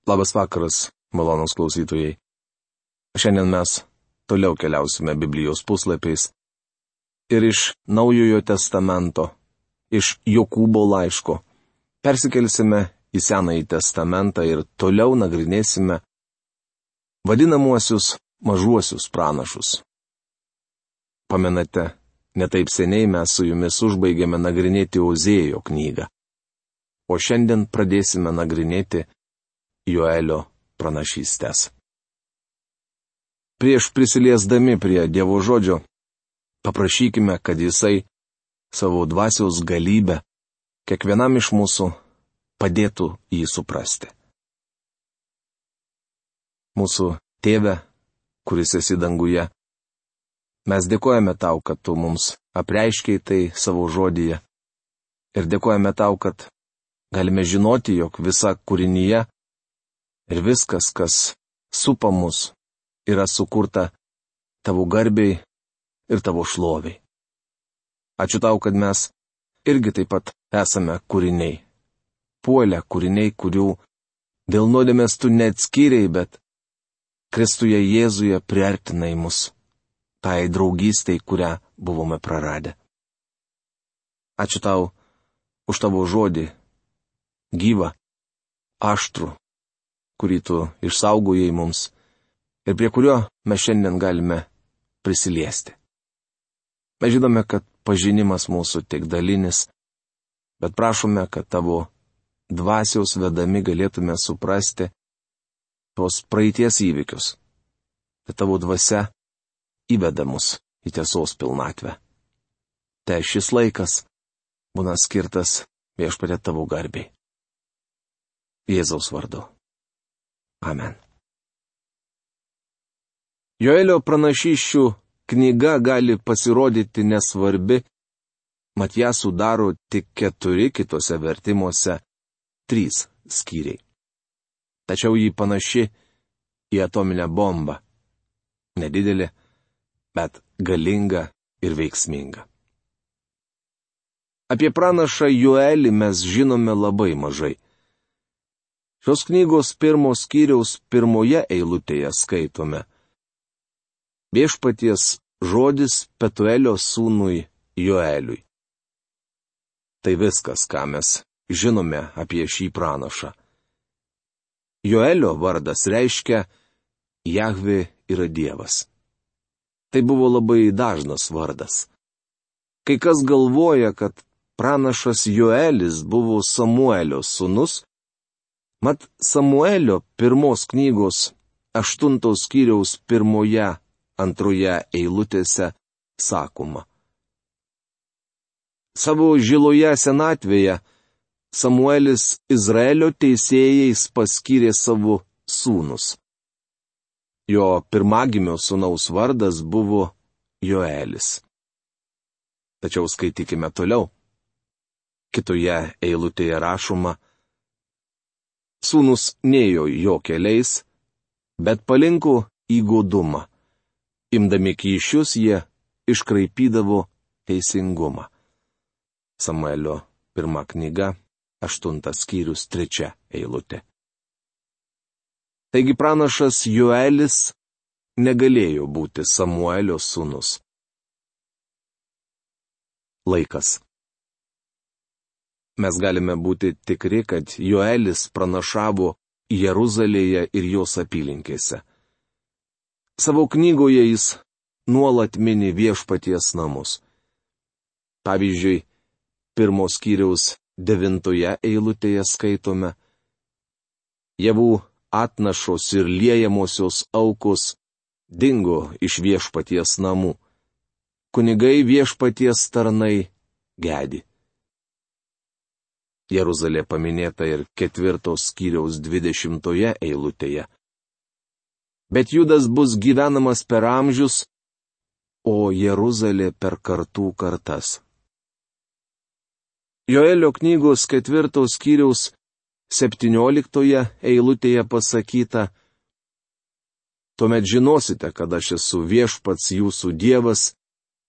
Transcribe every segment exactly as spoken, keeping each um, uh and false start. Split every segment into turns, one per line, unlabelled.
Labas vakaras, malonūs klausytojai. Šiandien mes toliau keliausime Biblijos puslapiais ir iš Naujojo testamento, iš Jokūbo laiško, persikelsime į Senąjį testamentą ir toliau nagrinėsime vadinamuosius mažuosius pranašus. Pamenate, netaip seniai mes su jumis užbaigėme nagrinėti Ozėjo knygą, o šiandien pradėsime nagrinėti Joelio pranašystės. Prieš prisiliesdami prie Dievo žodžio, paprašykime, kad Jisai savo dvasios galybę kiekvienam iš mūsų padėtų jį suprasti. Mūsų Tėve, kuris esi danguje, mes dėkojame Tau, kad Tu mums apreiškei tai savo žodyje, ir dėkojame Tau, kad galime žinoti, jog visa kūrinyje ir viskas, kas supa mus, yra sukurta Tavo garbei ir Tavo šloviai. Ačiū Tau, kad mes irgi taip pat esame kūriniai. Puolę kūriniai, kurių dėl nuodėmės Tu neatskyrei, bet Kristuje Jėzuje priartinai mus, tai draugystei, kurią buvome praradę. Ačiū Tau už Tavo žodį, gyvą, aštrų, kurį Tu išsaugojai mums ir prie kurio mes šiandien galime prisiliesti. Mes žinome, kad pažinimas mūsų tik dalinis, bet prašome, kad Tavo dvasiaus vedami galėtume suprasti tos praeities įvykius, kad Tavo dvasia įveda mus į tiesos pilnatvę. Te šis laikas būna skirtas Viešpatie Tavo garbei. Jėzaus vardu. Amen. Joelio pranašysčių knyga gali pasirodyti nesvarbi, mat ją sudaro tik keturi, kitose vertimuose trys skyriai. Tačiau ji panaši į atominę bombą. Nedidelė, bet galinga ir veiksminga. Apie pranašą Joelį mes žinome labai mažai. Šios knygos pirmos skyriaus pirmoje eilutėje skaitome: Viešpaties žodis Petuelio sūnui Joeliui. Tai viskas, ką mes žinome apie šį pranašą. Joelio vardas reiškia Jahvė yra Dievas. Tai buvo labai dažnas vardas. Kai kas galvoja, kad pranašas Joelis buvo Samuelio sūnus, mat Samuelio pirmos knygos aštuntos skyriaus pirmoje, antroje eilutėse sakoma: Savo žiloje senatvėje Samuelis Izraelio teisėjais paskyrė savo sūnus. Jo pirmagimio sūnaus vardas buvo Joelis. Tačiau skaitykime toliau. Kitoje eilutėje rašoma: Sūnus nėjo jo keliais, bet palinko į godumą. Imdami kyšius jie iškraipydavo teisingumą. Samuelio pirma knyga, aštuntas skyrius, trečia eilutė. Taigi pranašas Joelis negalėjo būti Samuelio sūnus. Laikas. Mes galime būti tikri, kad Joelis pranašavo Jeruzalėje ir jos apylinkėse. Savo knygoje jis nuolat mini Viešpaties namus. Pavyzdžiui, pirmos skyriaus devintoje eilutėje skaitome: Javų atnašos ir liejamosios aukos dingo iš Viešpaties namų. Kunigai Viešpaties tarnai gedi. Jeruzalė paminėta ir ketvirtos skyriaus dvidešimtoje eilutėje. Bet Judas bus gyvenamas per amžius, o Jeruzalė per kartų kartas. Joelio knygos ketvirtos skyriaus septynioliktoje eilutėje pasakyta: Tuomet žinosite, kad aš esu Viešpats jūsų Dievas,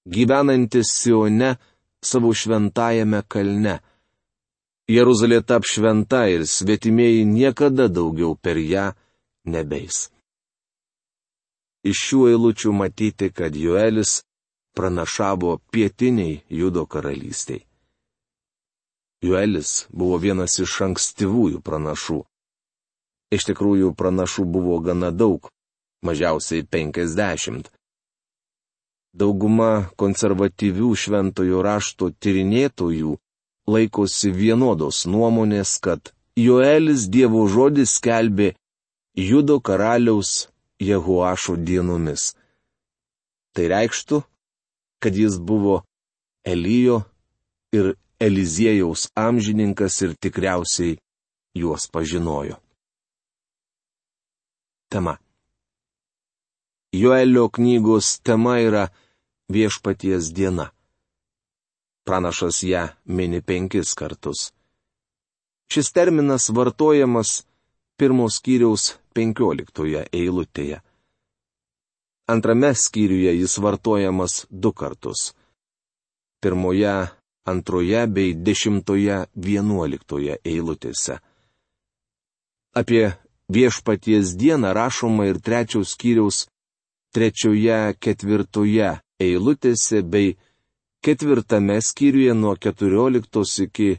gyvenantis Sione savo šventajame kalne. Jeruzalė tap šventa ir svetimieji niekada daugiau per ją nebeis. Iš šių eilučių matyti, kad Joelis pranašavo pietiniai Judo karalystiai. Joelis buvo vienas iš ankstyvųjų pranašų. Iš tikrųjų, pranašų buvo gana daug, mažiausiai penkiasdešimt. Dauguma konservatyvių šventojo rašto tyrinėtojų laikosi vienodos nuomonės, kad Joelis Dievo žodis skelbė Judo karaliaus Jehoašo dienomis. Tai reikštų, kad jis buvo Elijo ir Eliziejaus amžininkas ir tikriausiai juos pažinojo. Tema. Joelio knygos tema yra Viešpaties diena. Pranašas ją mini penkis kartus. Šis terminas vartojamas pirmos skyriaus penkioliktoje eilutėje. Antrame skyriuje jis vartojamas du kartus. Pirmoje, antroje bei dešimtoje vienuoliktoje eilutėse. Apie Viešpaties dieną rašoma ir trečiaus skyriaus trečioje, ketvirtoje eilutėse bei ketvirtame skyriuje nuo keturioliktos iki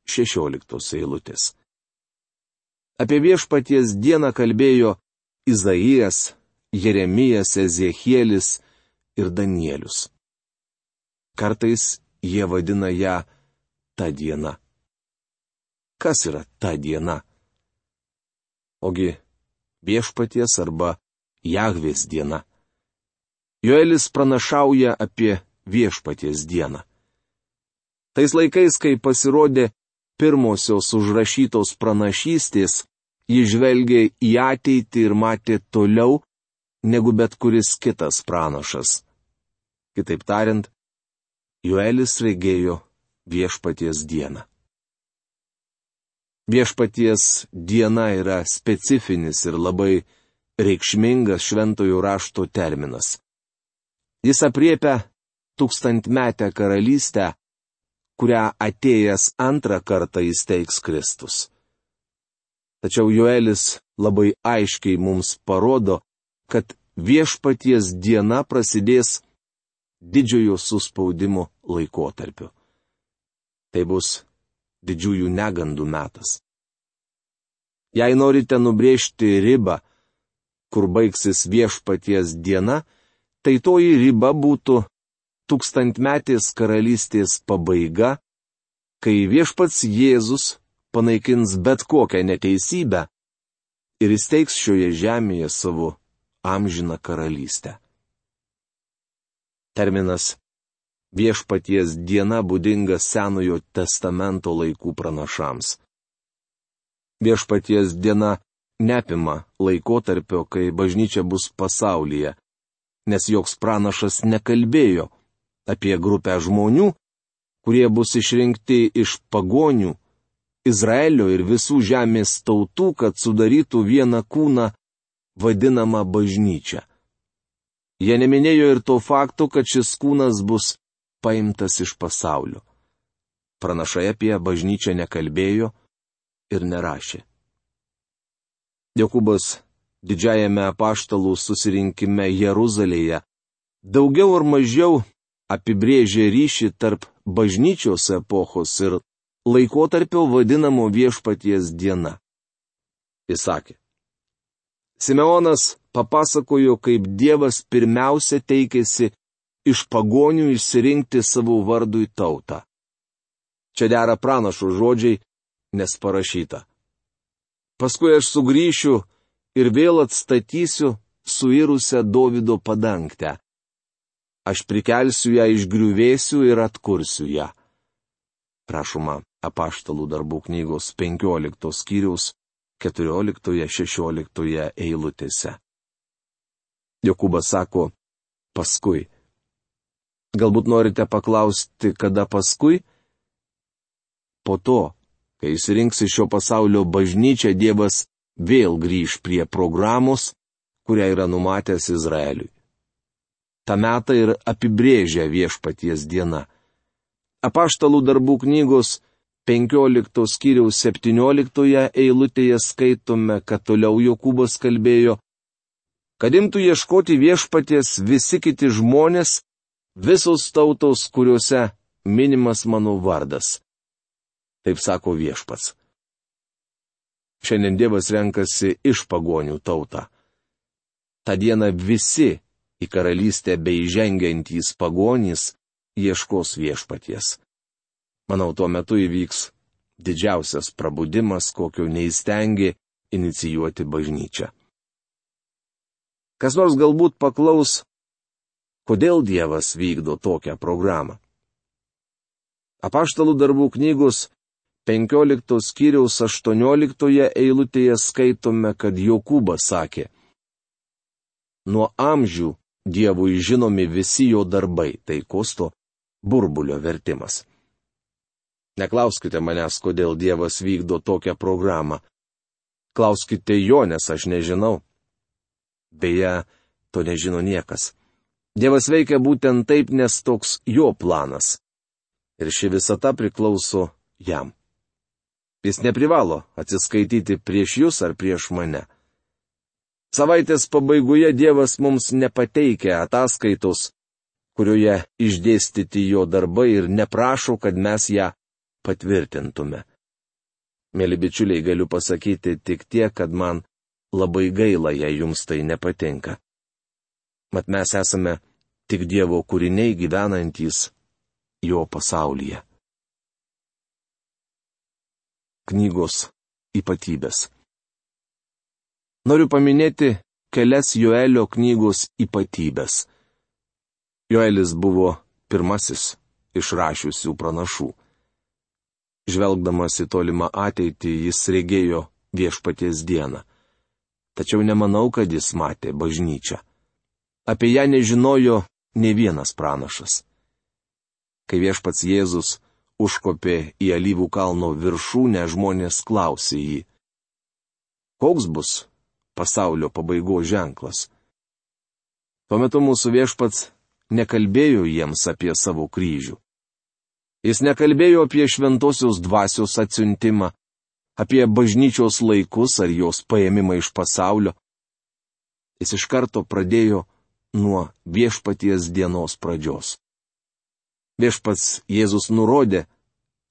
šešioliktos eilutės. Apie Viešpaties dieną kalbėjo Izaijas, Jeremijas, Ezechielis ir Danielius. Kartais jie vadina ją ta diena. Kas yra ta diena? Ogi Viešpaties arba Jahvės diena. Joelis pranašauja apie Viešpaties dieną. Tais laikais, kai pasirodė pirmosios užrašytos pranašystės, ji žvelgė į ateitį ir matė toliau, negu bet kuris kitas pranašas. Kitaip tariant, Joelis regėjo Viešpaties dieną. Viešpaties diena yra specifinis ir labai reikšmingas šventojo rašto terminas. Jis apriepia tūkstantmetę karalystę, kurią atėjęs antrą kartą įsteigs Kristus. Tačiau Joelis labai aiškiai mums parodo, kad Viešpaties diena prasidės didžiojo suspaudimo laikotarpiu. Tai bus didžiųjų negandų metas. Jei norite nubrėžti ribą, kur baigsis Viešpaties diena, tai toji riba būtų tūkstantmetės karalystės pabaiga, kai Viešpats Jėzus panaikins bet kokią neteisybę ir įsteigs šioje žemėje savo amžiną karalystę. Terminas Viešpaties diena būdingas Senojo testamento laikų pranašams. Viešpaties diena neapima laikotarpio, kai bažnyčia bus pasaulyje, nes joks pranašas nekalbėjo apie grupę žmonių, kurie bus išrinkti iš pagonių, Izraelio ir visų žemės tautų, kad sudarytų vieną kūną vadinamą bažnyčią. Jie neminėjo ir to fakto, kad šis kūnas bus paimtas iš pasaulio. Pranašai apie bažnyčią nekalbėjo ir nerašė. Jokūbas didžiajame apaštalų susirinkime Jeruzalėje daugiau ar mažiau apibrėžė ryšį tarp bažnyčios epochos ir laikotarpio vadinamo Viešpaties diena. Jis sakė: Simeonas papasakojo, kaip Dievas pirmiausia teikėsi iš pagonių išsirinkti savo vardui tautą. Čia dera pranašo žodžiai, nes parašyta: Paskui aš sugrįšiu ir vėl atstatysiu suirusią Dovydo padangtę. Aš prikelsiu ją iš griuvėsių ir atkursiu ją. Rašoma Apaštalų darbų knygos penkioliktos skyriaus keturioliktoje šešioliktoje eilutėse. Jokūbas sako: paskui. Galbūt norite paklausti, kada paskui? Po to, kai išsirinks iš šio pasaulio bažnyčią, Dievas vėl grįž prie programos, kurią yra numatęs Izraeliui. Ta metą ir apibrėžia Viešpaties diena. Apaštalų darbų knygos penkiolikto skyriaus septynioliktoje eilutėje skaitome, kad toliau Jokūbas kalbėjo, kad imtų ieškoti viešpaties visi kiti žmonės, visos tautos, kuriuose minimas mano vardas. Taip sako viešpats. Šiandien Dievas renkasi iš pagonių tautą. Ta diena visi į karalystę bei žengiantys pagonys ieškos viešpaties. Manau, tuo metu įvyks didžiausias prabudimas, kokio neįstengė inicijuoti bažnyčia. Kas nors galbūt paklaus, kodėl Dievas vykdo tokią programą. Apaštalų darbų knygos penkioliktos skyriaus aštuonioliktoje eilutėje skaitome, kad Jokūbas sakė, nuo amžių Dievui žinomi visi jo darbai, tai Kosto burbulio vertimas. Neklauskite manęs, kodėl Dievas vykdo tokią programą. Klauskite jo, nes aš nežinau. Beje, to nežino niekas. Dievas veikia būtent taip, nes toks jo planas. Ir ši visata priklauso jam. Jis neprivalo atsiskaityti prieš jūs ar prieš mane. Savaitės pabaigoje Dievas mums nepateikia ataskaitos, kurioje išdėstyti jo darbai ir neprašo, kad mes ją patvirtintume. Mėly bičiuliai, galiu pasakyti tik tiek, kad man labai gaila, jei jums tai nepatinka. Mat mes esame tik Dievo kūriniai gyvenantys jo pasaulyje. Knygos ypatybės. Noriu paminėti kelias Joelio knygos ypatybės. Joelis buvo pirmasis iš rašiusių pranašų. Žvelgdamas į tolimą ateitį, jis regėjo viešpaties dieną. Tačiau nemanau, kad jis matė bažnyčią. Apie ją nežinojo nė vienas pranašas. Kai viešpats Jėzus užkopė į Alyvų kalno viršūnę, žmonės klausė jį, koks bus pasaulio pabaigos ženklas? Tuo metu mūsų viešpats nekalbėjo jiems apie savo kryžių. Jis nekalbėjo apie šventosios dvasios atsiuntimą, apie bažnyčios laikus ar jos paėmimą iš pasaulio. Jis iš karto pradėjo nuo viešpaties dienos pradžios. Viešpats Jėzus nurodė,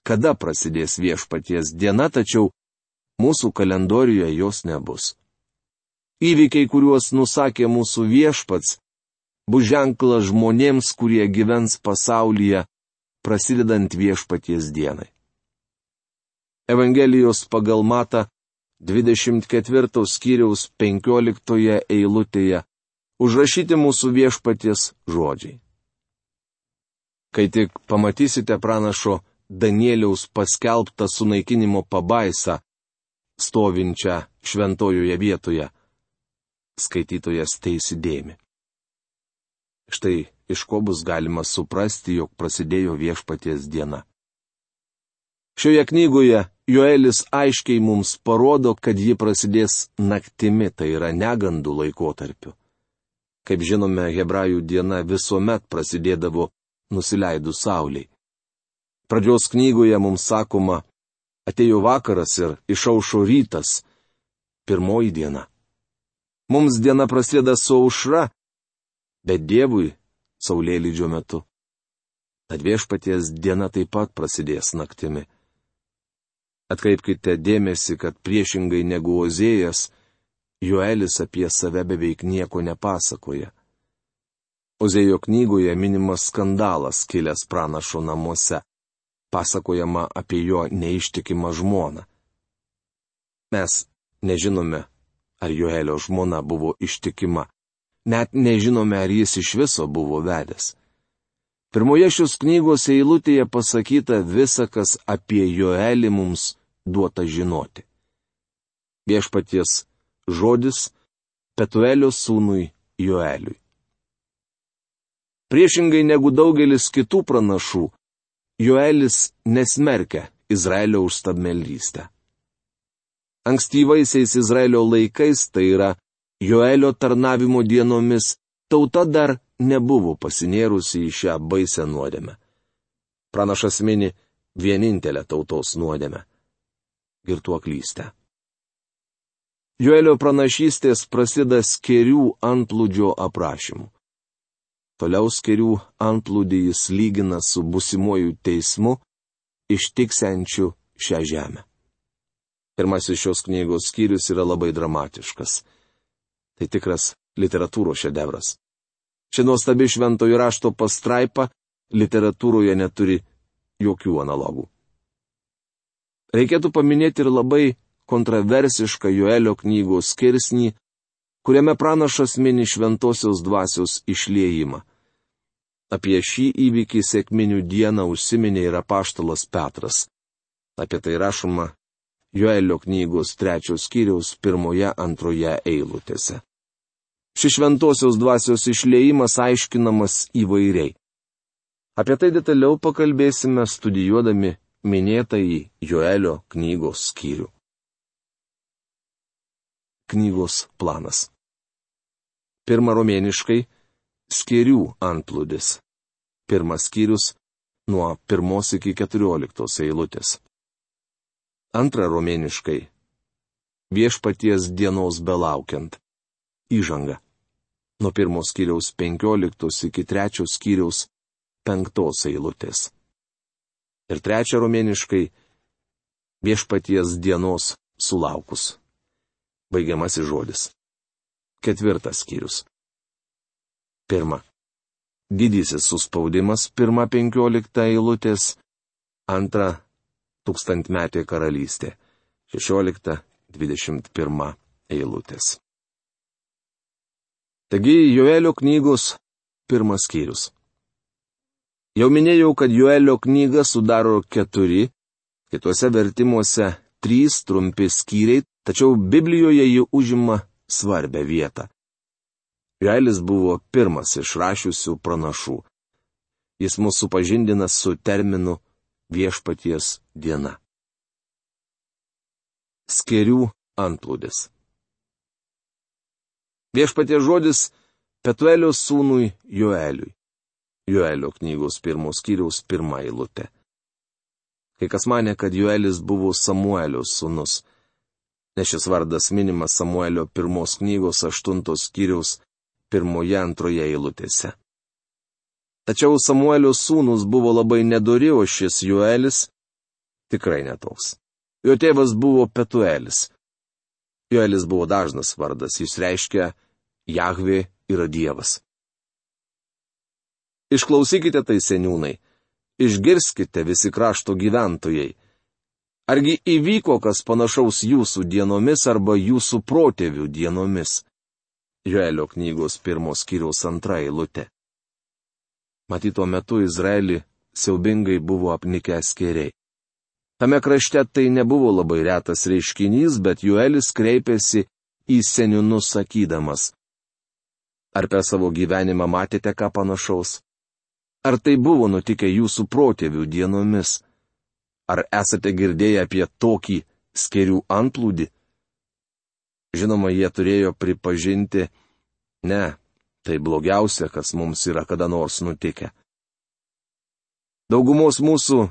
kada prasidės viešpaties diena, tačiau mūsų kalendorijoje jos nebus. Įvykiai, kuriuos nusakė mūsų viešpats, bus ženklas žmonėms, kurie gyvens pasaulyje, prasidedant viešpaties dienai. Evangelijos pagal Matą dvidešimt ketvirto skyriaus penkioliktoje eilutėje užrašyti mūsų viešpaties žodžiai. Kai tik pamatysite pranašo Danieliaus paskelbtą sunaikinimo pabaisą, stovinčią šventojoje vietoje, skaitytojas teįsidėmi. Štai iš ko bus galima suprasti, jog prasidėjo viešpaties diena. Šioje knygoje Joelis aiškiai mums parodo, kad ji prasidės naktimi, tai yra negandų laikotarpiu. Kaip žinome, hebrajų diena visuomet prasidėdavo nusileidus saulei. Pradžios knygoje mums sakoma, atėjo vakaras ir išaušo rytas, pirmoji diena. Mums diena prasideda su aušra, bet Dievui saulėlydžio metu. Tad viešpaties diena taip pat prasidės naktimi. Atkreipkite dėmesį, kad priešingai negu Ozėjas, Joelis apie save beveik nieko nepasakoja. Ozėjo knygoje minimas skandalas kilęs pranašo namuose. Pasakojama apie jo neištikimą žmoną. Mes nežinome, ar Joelio žmona buvo ištikima. Net nežinome, ar jis iš viso buvo vedęs. Pirmoje šios knygos eilutėje pasakyta visa, kas apie Joelį mums duota žinoti. Viešpaties žodis Petuelio sūnui Joeliui. Priešingai negu daugelis kitų pranašų, Joelis nesmerkia Izraelio už stabmeldystę. Ankstyvaisiais Izraelio laikais, tai yra Joelio tarnavimo dienomis, tauta dar nebuvo pasinėrusi į šią baisę nuodėmę. Pranašas mini vienintelę tautos nuodėmę - girtuoklystę. Joelio pranašystės prasideda skėrių antplūdžio aprašymu. Toliau skėrių antplūdį jis lygina su būsimuoju teismu, ištiksiančiu šią žemę. Pirmasis šios knygos skyrius yra labai dramatiškas. Tai tikras literatūros šedevras. Ši nuostabi šventojo rašto pastraipa literatūroje neturi jokių analogų. Reikėtų paminėti ir labai kontroversišką Joelio knygos skirsnį, kuriame pranašas mini šventosios dvasios išliejimą. Apie šį įvykį sekminių dieną užsiminė ir apaštalas Petras. Apie tai rašoma Joelio knygos trečios skyriaus pirmoje antroje eilutėse. Šis šventosios dvasios išliejimas aiškinamas įvairiai. Apie tai detaliau pakalbėsime studijuodami minėtąjį Joelio knygos skyrių. Knygos planas. Pirma romėniškai skėrių antplūdis. Pirmas skyrius nuo pirmos iki keturioliktos eilutės. Antra romėniškai viešpaties dienos belaukiant. Įžanga. Nuo pirmos skyriaus penkioliktos iki trečios skyriaus penktos eilutės. Ir trečia romėniškai viešpaties dienos sulaukus. Baigiamasis žodis. Ketvirtas skyrius. Pirma. Didysis suspaudimas, pirma penkiolikta eilutės. Antra. Tūkstantmetė karalystė. Šešiolikta, dvidešimt pirma eilutės. Taigi Joelio knygos pirmas skyrius. Jau minėjau, kad Joelio knyga sudaro keturi, kituose vertimuose trys trumpi skyriai, tačiau Biblijoje ji užima svarbią vietą. Joelis buvo pirmas iš rašiusių pranašų. Jis mus supažindina su terminu viešpaties diena. Skėrių antplūdis. Viešpaties žodis Petuelio sūnui Joeliui. Joelio knygos pirmos skyriaus pirma eilutė. Kai kas manė, kad Joelis buvo Samuelio sūnus, nes šis vardas minimas Samuelio pirmos knygos aštuntos skyriaus pirmoje antroje eilutėse. Tačiau Samuelio sūnus buvo labai nedori, o šis Joelis tikrai netoks. Jo tėvas buvo Petuelis. Joelis buvo dažnas vardas, jis reiškia Jahvė yra Dievas. Išklausykite tai, seniūnai, išgirskite visi krašto gyventojai. Argi įvyko kas panašaus jūsų dienomis arba jūsų protėvių dienomis? Joelio knygos pirmos skyriaus antra eilutė. Matyt, tuo metu Izraelį siaubingai buvo apnikę skėriai. Tame krašte tai nebuvo labai retas reiškinys, bet Joelis kreipėsi į seniūnus sakydamas: Ar per savo gyvenimą matėte ką panašaus? Ar tai buvo nutikę jūsų protėvių dienomis? Ar esate girdėję apie tokį skėrių antplūdį? Žinoma, jie turėjo pripažinti, ne, tai blogiausia, kas mums yra kada nors nutikę. Daugumos mūsų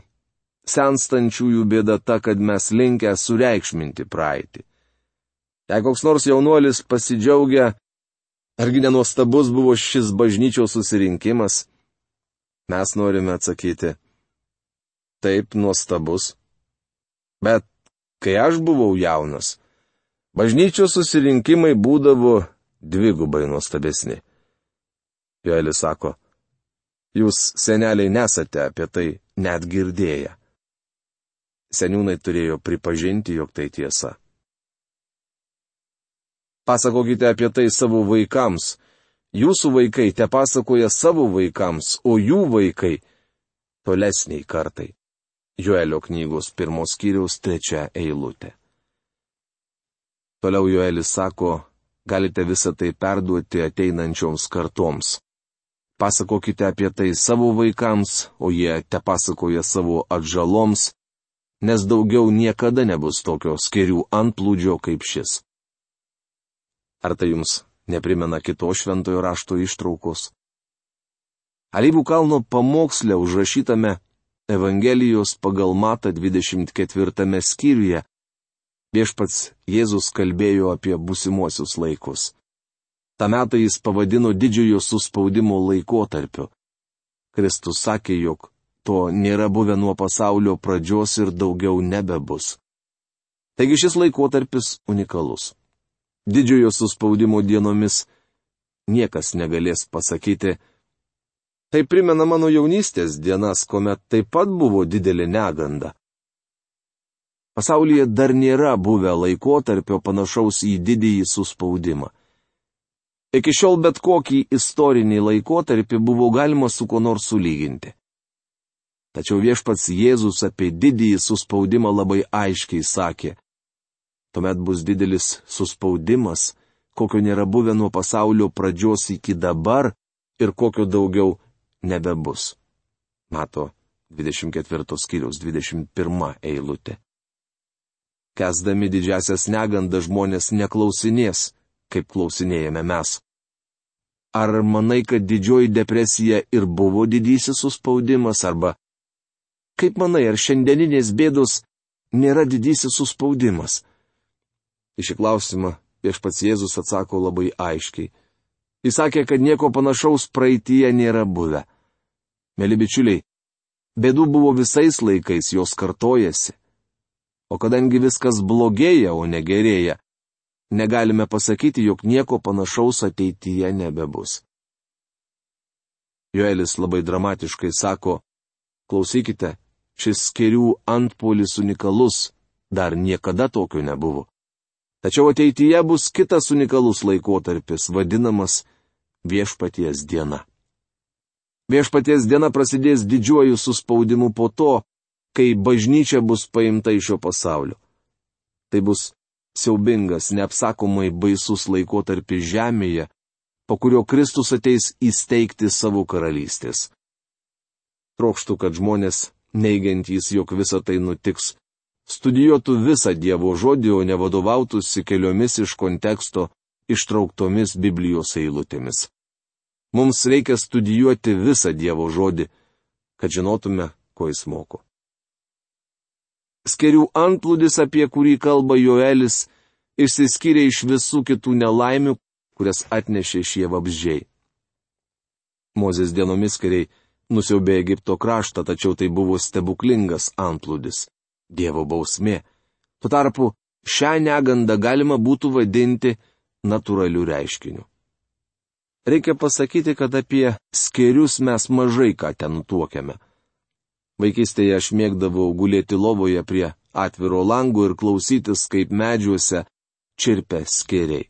senstančiųjų bėda ta, kad mes linkę sureikšminti praeitį. Jei koks nors jaunuolis pasidžiaugia, argi nenuostabus buvo šis bažnyčios susirinkimas, mes norime atsakyti: taip, nuostabus. Bet kai aš buvau jaunas, bažnyčios susirinkimai būdavo dvigubai nuostabesni. Joelis sako: jūs, seneliai, nesate apie tai net girdėję. Seniūnai turėjo pripažinti, jog tai tiesa. Pasakokite apie tai savo vaikams. Jūsų vaikai te pasakoja savo vaikams, o jų vaikai tolesniai kartai. Joelio knygos pirmos skyriaus trečia eilutė. Toliau Joelis sako, galite visą tai perduoti ateinančioms kartoms. Pasakokite apie tai savo vaikams, o jie te pasakoja savo atžaloms, nes daugiau niekada nebus tokio skėrių antplūdžio kaip šis. Ar tai jums neprimena kitos šventojo rašto ištraukos? Alyvų kalno pamoksle užrašytame Evangelijos pagal Matą dvidešimt ketvirtame skyriuje viešpats Jėzus kalbėjo apie būsimuosius laikus. Ta metą jis pavadino didžiojo suspaudimo laikotarpiu. Kristus sakė, jog to nėra buvę nuo pasaulio pradžios ir daugiau nebebus. Taigi šis laikotarpis unikalus. Didžiojo suspaudimo dienomis niekas negalės pasakyti, tai primena mano jaunystės dienas, kuomet taip pat buvo didelė neganda. Pasaulyje dar nėra buvę laikotarpio panašaus į didįjį suspaudimą. Iki šiol bet kokį istorinį laikotarpį buvo galima su kuo nors sulyginti. Tačiau viešpats Jėzus apie didįjį suspaudimą labai aiškiai sakė, tuomet bus didelis suspaudimas, kokio nėra buvę nuo pasaulio pradžios iki dabar ir kokio daugiau nebebus. Mato dvidešimt ketvirtos skyriaus dvidešimt pirma eilutė. Kęsdami didžiasias negandas žmonės neklausinės, kaip klausinėjame mes. Ar manai, kad didžioji depresija ir buvo didysis suspaudimas, arba kaip manai, ar šiandieninės bėdos nėra didysis suspaudimas? Į šį klausimą viešpats Jėzus atsako labai aiškiai. Jis sakė, kad nieko panašaus praeityje nėra buvę. Mėly bičiuliai, bėdų buvo visais laikais, jos kartojasi. O kadangi viskas blogėja, o ne gerėja, negalime pasakyti, jog nieko panašaus ateityje nebebus. Joelis labai dramatiškai sako, klausykite, šis skėrių antpuolis unikalus, dar niekada tokio nebuvo. Tačiau ateityje bus kitas unikalus laikotarpis, vadinamas viešpaties diena. Viešpaties diena prasidės didžiuoju suspaudimu po to, kai bažnyčia bus paimta iš šio pasaulio. Tai bus siaubingas, neapsakomai baisus laikotarpis žemėje, po kurio Kristus ateis įsteigti savo karalystės. Trokštų, kad žmonės, neigiantys, jog visa tai nutiks, studijuotų visą Dievo žodį, o nevadovautųsi keliomis iš konteksto ištrauktomis Biblijos eilutėmis. Mums reikia studijuoti visą Dievo žodį, kad žinotume, ko jis moko. Skėrių antplūdis, apie kurį kalba Joelis, išsiskyrė iš visų kitų nelaimių, kurias atnešė šie vabzdžiai. Mozės dienomis skėriai nusiaubė Egipto kraštą, tačiau tai buvo stebuklingas antplūdis. Dievo bausmė. Tuo tarpu šią negandą galima būtų vadinti natūraliu reiškiniu. Reikia pasakyti, kad apie skėrius mes mažai ką ten tuokiame. Vaikystėje aš mėgdavau gulėti lovoje prie atviro lango ir klausytis, kaip medžiuose čirpia skėriai.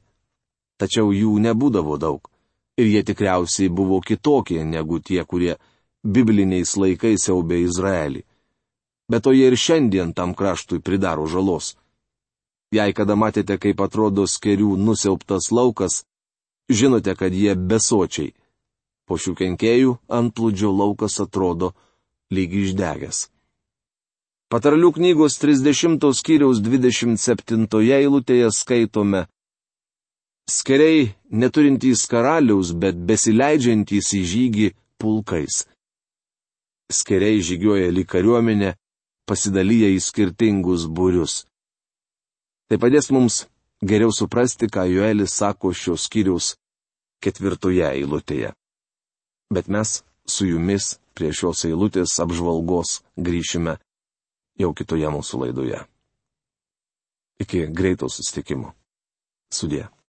Tačiau jų nebūdavo daug. Ir jie tikriausiai buvo kitokie negu tie, kurie bibliniais laikais siaubė Izraelį. Bet to jie ir šiandien tam kraštui pridaro žalos. Jei kada matėte, kaip atrodo skėrių nusiaubtas laukas, žinote, kad jie besočiai. Po šių kenkėjų antplūdžio laukas atrodo lyg išdegęs. Patarlių knygos trisdešimtos skyriaus dvidešimt septintoje eilutėje skaitome: skėriai neturintys karaliaus, bet besileidžiantys į žygį pulkais. Skėriai žygiuoja lyg kariuomenė, pasidalyja į skirtingus būrius. Tai padės mums geriau suprasti, ką Joelis sako šios skyriaus ketvirtoje eilutėje. Bet mes su jumis prie šios eilutės apžvalgos grįšime jau kitoje mūsų laidoje. Iki greito susitikimo. Sudie.